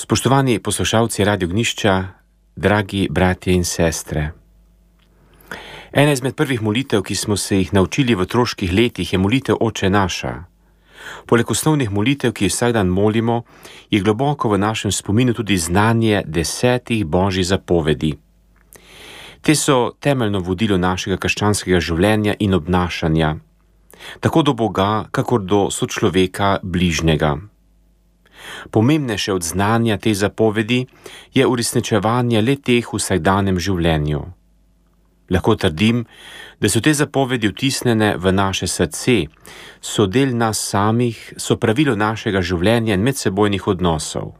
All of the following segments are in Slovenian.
Spoštovani poslušalci Radio Gnišča, dragi bratje in sestre. Ena izmed prvih molitev, ki smo se jih naučili v otroških letih, je molitev Oče naša. Poleg osnovnih molitev, ki jih vsak dan molimo, je globoko v našem spominu tudi znanje 10 božjih zapovedi. Te so temeljno vodilo našega krščanskega življenja in obnašanja, tako do Boga, kakor do sočloveka bližnjega. Pomembnejše od znanja te zapovedi je uresničevanje le teh v vsakdanjem življenju. Lahko trdim, da so te zapovedi vtisnjene v naše srce, so del nas samih, so pravilo našega življenja in medsebojnih odnosov.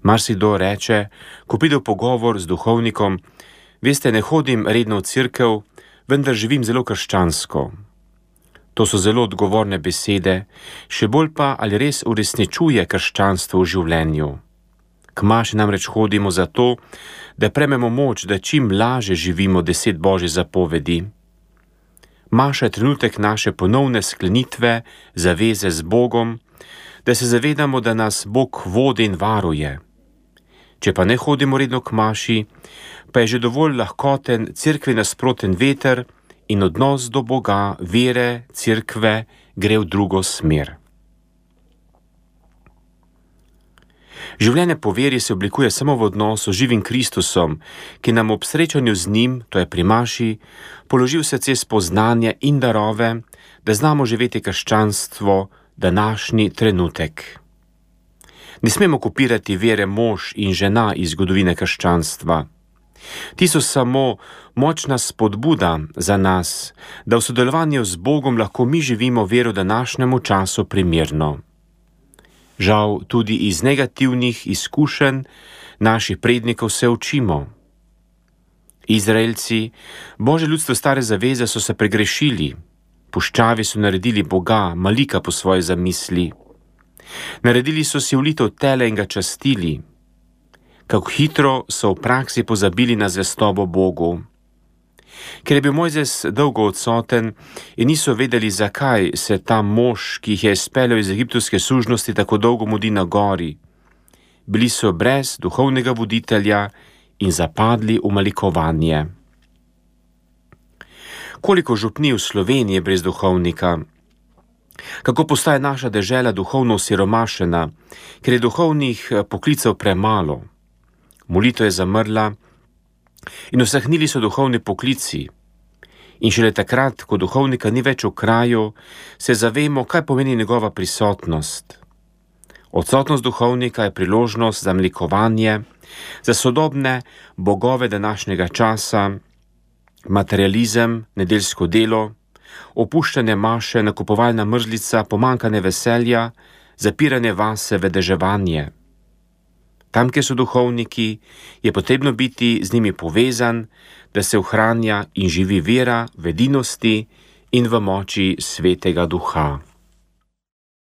Marsikdo reče, ko pride v pogovor z duhovnikom: veste, ne hodim redno v cerkev, vendar živim zelo krščansko. To so zelo odgovorne besede, še bolj pa, ali res uresničuje krščanstvo v življenju. K maši namreč hodimo zato, da prejmemo moč, da čim laže živimo 10 božjih zapovedi. Maša je trenutek naše ponovne sklenitve, zaveze z Bogom, da se zavedamo, da nas Bog vodi in varuje. Če pa ne hodimo redno k maši, pa je že dovolj lahkoten cerkvi nasproten veter in odnos do Boga, vere, cerkve gre v drugo smer. Življenje po veri se oblikuje samo v odnosu z živim Kristusom, ki nam ob srečanju z njim, to je pri maši, položi v srce spoznanje in darove, da znamo živeti krščanstvo današnji trenutek. Ne smemo kopirati vere mož in žena iz zgodovine krščanstva. Ti so samo močna spodbuda za nas, da v sodelovanju z Bogom lahko mi živimo vero današnjemu času primerno. Žal, tudi iz negativnih izkušenj naših prednikov se učimo. Izraelci, Božje ljudstvo stare zaveze, so se pregrešili. Puščavi so naredili Boga, Malika po svoje zamisli. Naredili so si ulitev tele in ga častili. Kako hitro so v praksi pozabili na zvestobo Bogu. Ker je bil Mojzes dolgo odsoten in niso vedeli, zakaj se ta mož, ki jih je izpeljal iz egiptovske sužnosti, tako dolgo mudi na gori. Bili so brez duhovnega voditelja in zapadli v malikovanje. Koliko župni v Sloveniji je brez duhovnika? Kako postaje naša dežela duhovno osiromašena, ker je duhovnih poklicev premalo? Molitev je zamrla in usahnili so duhovni poklici. In šele takrat, ko duhovnika ni več v kraju, se zavemo, kaj pomeni njegova prisotnost. Odsotnost duhovnika je priložnost za mlikovanje, za sodobne bogove današnjega časa, materializem, nedeljsko delo, opuščanje maše, nakupovalna mrzlica, pomanjkanje veselja, zapiranje vase, vedeževanje. Tam, kjer so duhovniki, je potrebno biti z njimi povezan, da se ohranja in živi vera v edinosti in v moči Svetega Duha.